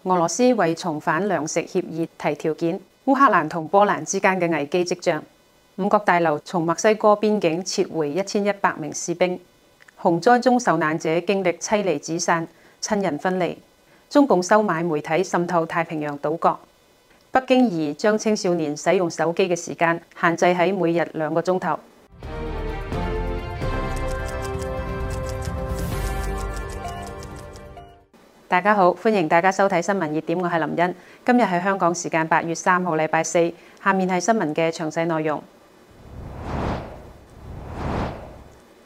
俄羅斯為重返糧食協議提條件，烏克蘭同波蘭之間嘅危機跡象。五角大樓從墨西哥邊境撤回1100名士兵。洪災中受難者經歷妻離子散、親人分離。中共收買媒體滲透太平洋島國。北京擬將青少年使用手機嘅時間限制喺每日2個鐘頭。大家好，歡迎大家收睇新聞熱點，我係林茵。今日係香港時間8月3號禮拜四，下面係新聞嘅詳細內容。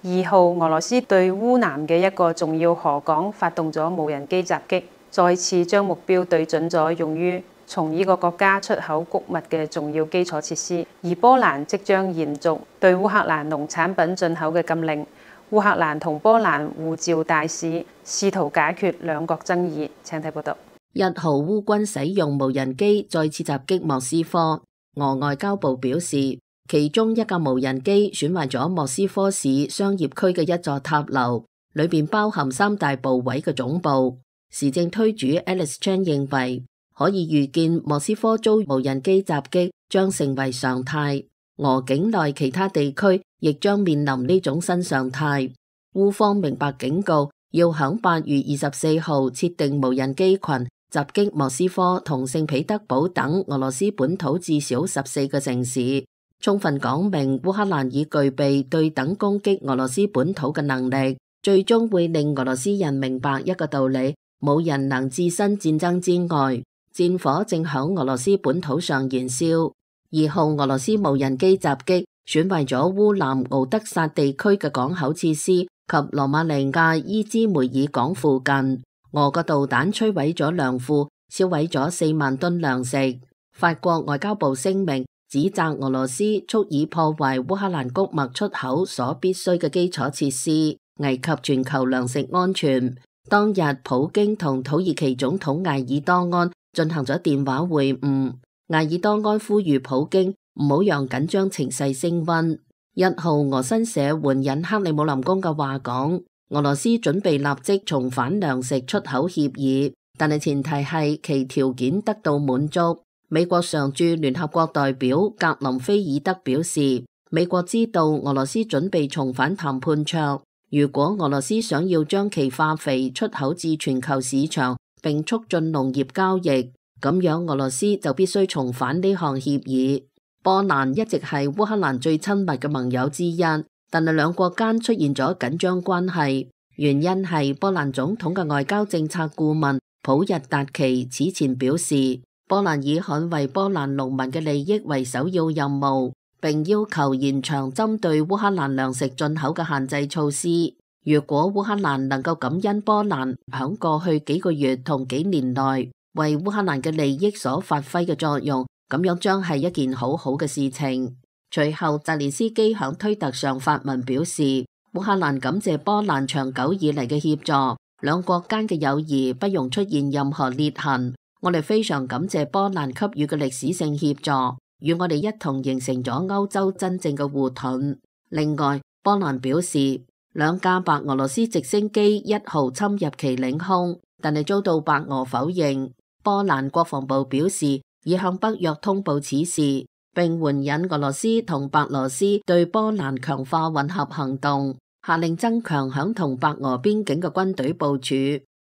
2號，俄羅斯對烏南嘅一個重要河港發動咗無人機襲擊，再次將目標對準咗用於從呢個國家出口穀物嘅重要基礎設施。而波蘭即將延續對烏克蘭農產品進口嘅禁令。烏克蘭同波蘭互召大使，試圖解決兩國爭議。請睇報道。1號，烏軍使用無人機再次襲擊莫斯科。俄外交部表示，其中一架無人機損壞咗莫斯科市商業區嘅一座塔樓，裏邊包含3大部委嘅總部。時政推主 Alex Chan 認為，可以預見莫斯科遭無人機襲擊將成為常態。俄境內其他地區亦將面臨呢種新常態。烏方明白警告，要響8月24號設定無人機群襲擊莫斯科同聖彼得堡等俄羅斯本土至少14個城市，充分講明烏克蘭已具備對等攻擊俄羅斯本土嘅能力，最終會令俄羅斯人明白一個道理：冇人能置身戰爭之外，戰火正響俄羅斯本土上燃燒。2號，俄羅斯無人機襲擊損壞咗烏南敖德薩地區嘅港口設施及羅馬尼亞伊茲梅爾港附近。俄國導彈摧毀咗糧庫，燒毀咗4萬噸糧食。法國外交部聲明指責俄羅斯蓄意破壞烏克蘭穀物出口所必須嘅基礎設施，危及全球糧食安全。當日，普京同土耳其總統埃爾多安進行咗電話會晤。埃爾多安呼籲普京唔好讓緊張情勢升溫。1號，俄新社援引克里姆林宮嘅話講，俄羅斯準備立即重返糧食出口協議，但係前提係其條件得到滿足。美國常駐聯合國代表格林菲爾德表示，美國知道俄羅斯準備重返談判桌，如果俄羅斯想要將其化肥出口至全球市場並促進農業交易，咁樣俄羅斯就必須重返呢項協議。波蘭一直係烏克蘭最親密嘅盟友之一，但係兩國間出現咗緊張關係，原因係波蘭總統嘅外交政策顧問普日達奇此前表示，波蘭以捍衛波蘭農民嘅利益為首要任務，並要求延長針對烏克蘭糧食進口嘅限制措施。如果烏克蘭能夠感恩波蘭響過去幾個月同幾年內為烏克蘭嘅利益所發揮嘅作用，咁樣將係一件好好嘅事情。隨後，澤連斯基響推特上發文表示，烏克蘭感謝波蘭長久以嚟嘅協助，兩國間嘅友誼不容出現任何裂痕。我哋非常感謝波蘭給予嘅歷史性協助，與我哋一同形成咗歐洲真正嘅護盾。另外，波蘭表示，2架白俄羅斯直升機1號侵入其領空，但係遭到白俄否認。波蘭國防部表示，已向北約通報此事，並援引俄羅斯同白羅斯對波蘭強化混合行動，下令增強響同白俄邊境嘅軍隊部署。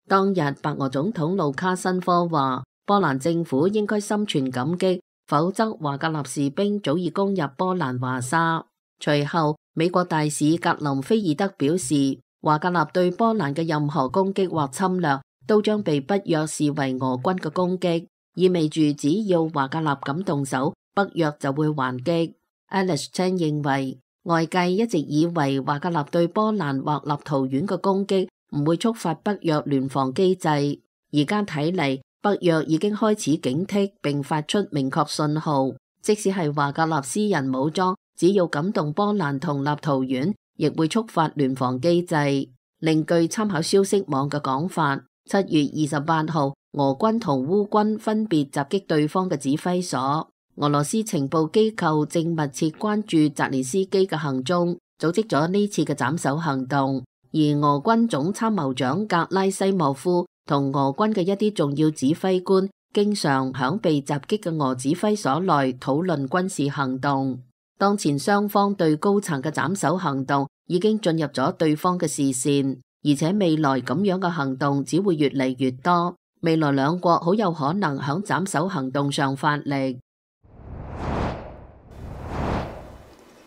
當日，白俄總統盧卡申科話，波蘭政府應該心存感激，否則華格納士兵早已攻入波蘭華沙。隨後，美國大使格林菲爾德表示，華格納對波蘭嘅任何攻擊或侵略都將被北約視為俄軍嘅攻擊，意味住只要華格納敢動手，北約就會還擊。Alex Chan 認為，外界一直以為華格納對波蘭或立陶宛嘅攻擊唔會觸發北約聯防機制，而家睇嚟，北約已經開始警惕並發出明確信號，即使係華格納私人武裝，只要感動波蘭同立陶宛，亦會觸發聯防機制。另據參考消息網嘅講法，7月28號，俄軍同烏軍分別襲擊對方嘅指揮所。俄羅斯情報機構正密切關注澤連斯基嘅行蹤，組織咗呢次嘅斬首行動。而俄軍總參謀長格拉西莫夫同俄軍嘅一啲重要指揮官經常響被襲擊嘅俄指揮所內討論軍事行動。當前雙方對高層嘅斬首行動已經進入咗對方嘅視線，而且未來咁樣嘅行動只會越嚟越多。未來兩國好有可能響斬首行動上發力。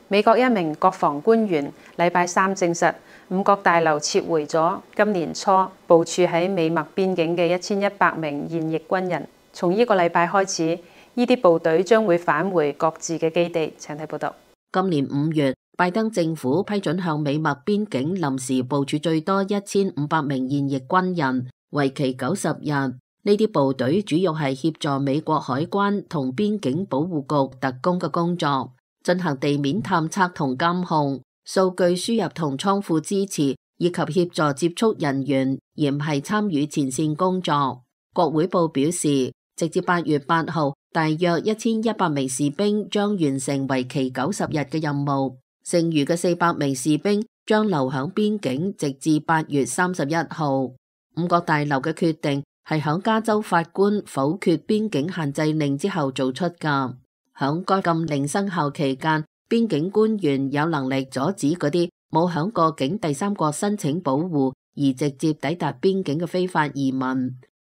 美國一名國防官員禮拜三證實，五角大樓撤回咗今年初部署喺美墨邊境嘅1100名現役軍人。從呢個禮拜開始，呢啲部隊將會返回各自嘅基地。請睇報道。今年5月，拜登政府批准向美墨邊境臨時部署最多1500名現役軍人，為期90日。呢啲部隊主要係協助美國海關同邊境保護局特工嘅工作，進行地面探測同監控、數據輸入同倉庫支持，以及協助接觸人員，而唔係參與前線工作。國會報表示，直至8月8號，大約1100名士兵將完成為期90日嘅任務，剩餘嘅400名士兵將留響邊境，直至8月31號。五角大樓嘅決定係響加州法官否決邊境限制令之後做出㗎。響該禁令生效期間，邊境官員有能力阻止嗰啲冇響過境第三國申請保護而直接抵達邊境嘅非法移民。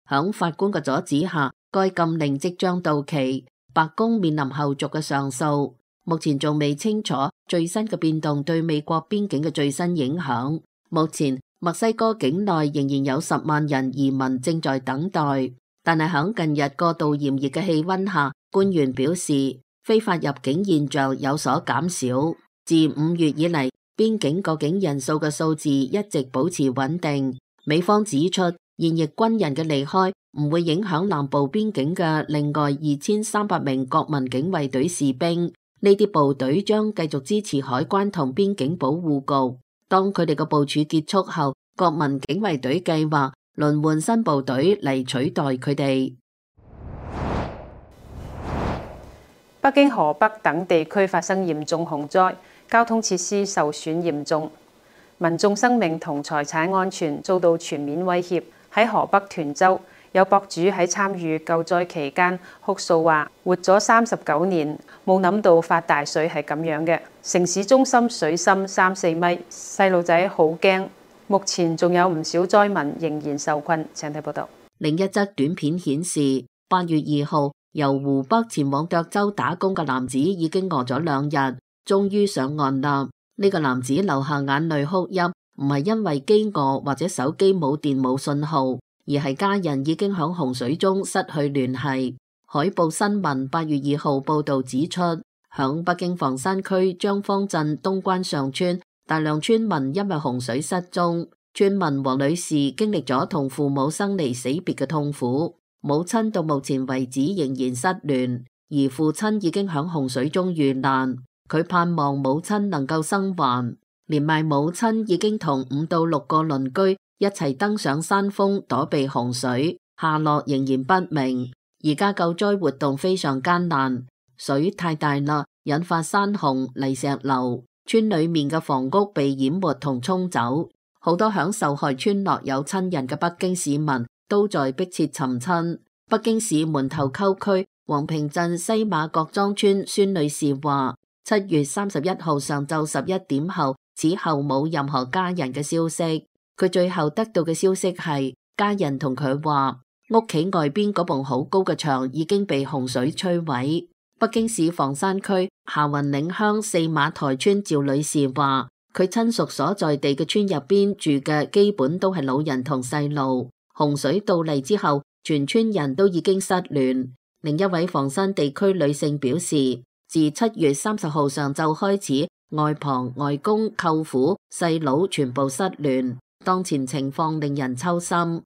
響法官嘅阻止下，該禁令即將到期，白宮面臨後續嘅上訴。目前仲未清楚最新嘅變動對美國邊境嘅最新影響。目前墨西哥境內仍然有10萬人移民正在等待，但係響近日過度炎熱嘅氣溫下，官員表示非法入境現象有所減少。自5月以嚟，邊境過境人數嘅數字一直保持穩定。美方指出，現役軍人嘅離開唔會影響南部邊境嘅另外2300名國民警衛隊士兵。呢啲部隊將繼續支持海關同邊境保護局。當佢哋嘅部署結束後，國民警衛隊計劃輪換新部隊嚟取代佢哋。北京、河北等地區發生嚴重洪災，交通設施受損嚴重，民眾生命同財產安全遭到全面威脅。喺河北涿州，有博主喺參與救災期間哭訴話：活咗39年，冇諗到發大水係咁樣嘅。城市中心水深3-4米，細路仔好驚。目前仲有唔少災民仍然受困。請睇報道。另一則短片顯示，8月2號由湖北前往涿州打工嘅男子已經餓咗2日，終於上岸啦。呢個男子流下眼淚哭泣，唔係因為飢餓或者手機冇電冇信號，而係家人已經響洪水中失去聯繫。海報新聞8月2號報道指出，響北京房山區張坊鎮東關上村，大量村民因為洪水失蹤。村民黃女士經歷咗同父母生離死別嘅痛苦，母親到目前為止仍然失聯，而父親已經響洪水中遇難。佢盼望母親能夠生還，連埋母親已經同5到6個鄰居一齊登上山峰躲避洪水，下落仍然不明。而家救災活動非常艱難，水太大啦，引發山洪、泥石流，村裏面嘅房屋被淹沒同沖走。好多響受害村落有親人嘅北京市民都在迫切尋親。北京市門頭溝區黃坪鎮西馬各莊村孫女士話：7月31號上晝11點後，此後冇任何家人嘅消息。佢最後得到嘅消息係，家人同佢話，屋企外邊嗰埲好高嘅牆已經被洪水摧毀。北京市房山區霞雲嶺鄉4馬台村趙女士話，佢親屬所在地嘅村入邊住嘅基本都係老人同細路。洪水到嚟之後，全村人都已經失聯。另一位房山地區女性表示，自7月30號上晝開始，外婆、外公、舅父、細佬全部失聯，當前情況令人揪心。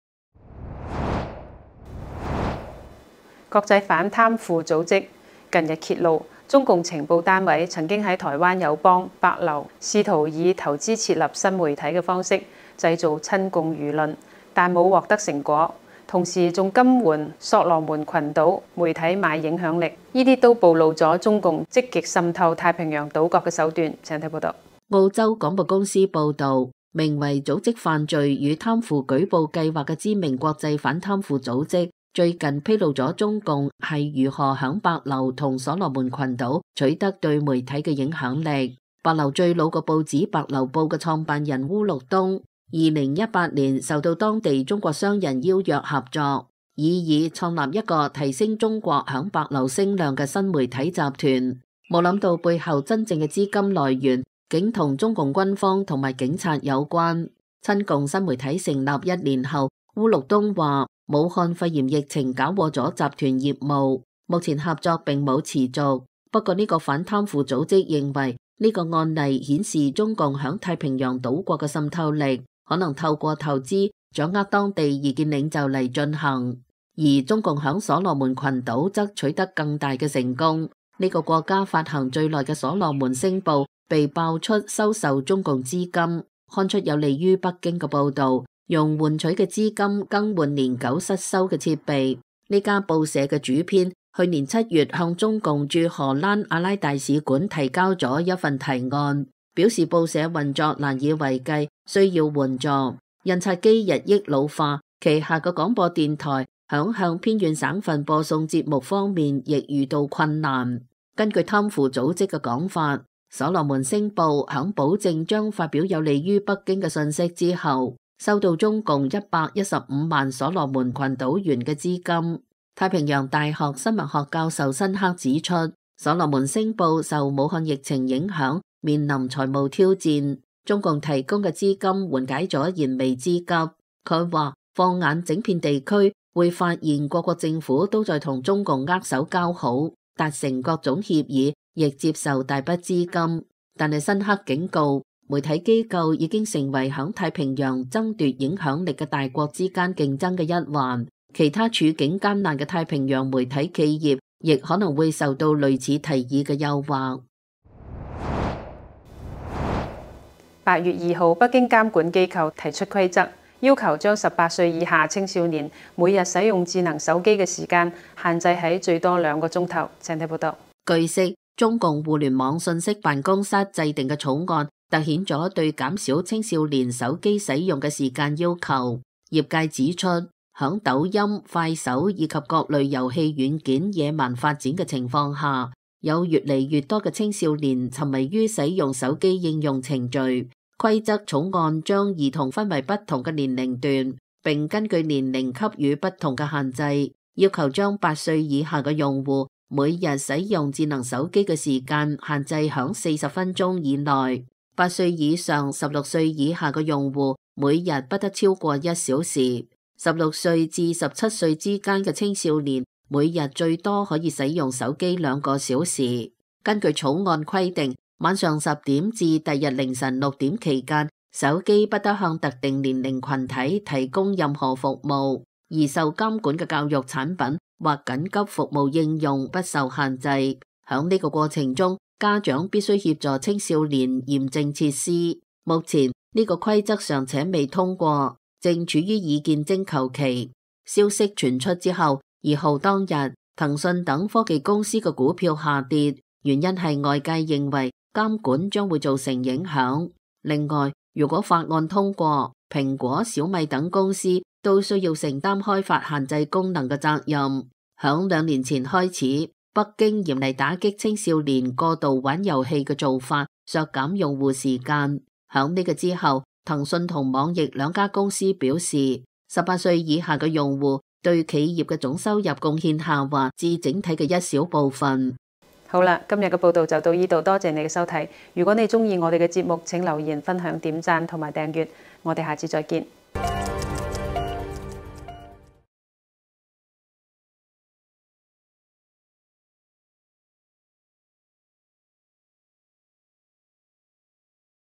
國際反貪腐組織近日揭露，中共情報單位曾經喺台灣友邦、帛琉試圖以投資設立新媒體嘅方式製造親共輿論，但冇獲得成果。同時仲金援索羅門群島媒體買影響力，呢啲都暴露咗中共積極滲透太平洋島國嘅手段。請睇報道。澳洲廣播公司報導，名為組織犯罪與貪腐舉報計劃嘅知名國際反貪腐組織，最近披露咗中共係如何響帛琉同所羅門群島取得對媒體嘅影響力。帛琉最老嘅報紙《帛琉報》嘅創辦人烏陸東，2018年受到當地中國商人邀約合作，以創立一個提升中國響帛琉聲量嘅新媒體集團。冇諗到背後真正嘅資金來源竟同中共軍方同埋警察有關。親共新媒體成立1年後，烏陸東話武漢肺炎疫情搞禍咗集團業務，目前合作並冇持續。不過呢個反貪腐組織認為呢個案例顯示中共響太平洋島國嘅滲透力可能透過投資掌握當地意見領袖嚟進行，而中共響所羅門群島則取得更大嘅成功。呢個國家發行最耐嘅所羅門星報被爆出收受中共資金，刊出有利於北京嘅報導，用換取嘅資金更換年久失修嘅設備。呢家報社嘅主編去年7月向中共駐荷蘭阿拉大使館提交咗一份提案，表示報社運作難以為繼，需要援助。印刷機日益老化，旗下嘅廣播電台響向偏遠省份播送節目方面亦遇到困難。根據貪腐組織嘅講法，所羅門星報響保證將發表有利於北京嘅信息之後，收到中共115萬所羅門群島元嘅資金。太平洋大學新聞學教授辛克指出，所羅門星報受武漢疫情影響，面臨財務挑戰，中共提供嘅資金緩解咗燃眉之急。佢話放眼整片地區，會發現各國政府都在同中共握手交好，達成各種協議，亦接受大筆資金。但係辛克警告，媒體機構已經成為響太平洋爭奪影響力嘅大國之間競爭嘅一環，其他處境艱難嘅太平洋媒體企業亦可能會受到類似提議嘅誘惑。8月2號，北京監管機構提出規則，要求將18歲以下青少年每日使用智能手機嘅時間限制喺最多2個鐘頭。請睇報道。據悉，中共互聯網信息辦公室制定嘅草案凸顯咗對減少青少年手機使用嘅時間要求。業界指出，響抖音、快手以及各類遊戲軟件野蠻發展嘅情況下，有越嚟越多嘅青少年沉迷於使用手機應用程序。規則草案將兒童分為不同嘅年齡段，並根據年齡給予不同嘅限制，要求將8歲以下嘅用戶每日使用智能手機嘅時間限制響40分鐘以內，8歲以上、16歲以下嘅用戶每日不得超過1小時，16歲至17歲之間嘅青少年每日最多可以使用手機2個小時。根據草案規定，晚上10點至第日凌晨6點期間，手機不得向特定年齡群體提供任何服務，而受監管嘅教育產品或緊急服務應用不受限制。響呢個過程中，家長必須協助青少年驗證設施。目前呢個規則尚且未通過，正處於意見徵求期。消息傳出之後，2號當日，騰訊等科技公司嘅股票下跌，原因係外界認為監管將會造成影響。另外，如果法案通過，蘋果、小米等公司都需要承擔開發限制功能嘅責任。響2年前開始，北京嚴厲打擊青少年過度玩遊戲嘅做法，削減用戶時間。響呢個之後，騰訊同網易2家公司表示，18歲以下嘅用戶對企業嘅總收入貢獻下滑至整體嘅一小部分。好啦，今日嘅報道就到呢度，多謝你嘅收睇。如果你鍾意我哋嘅節目，請留言、分享、點讚同埋訂閱。我哋下次再見。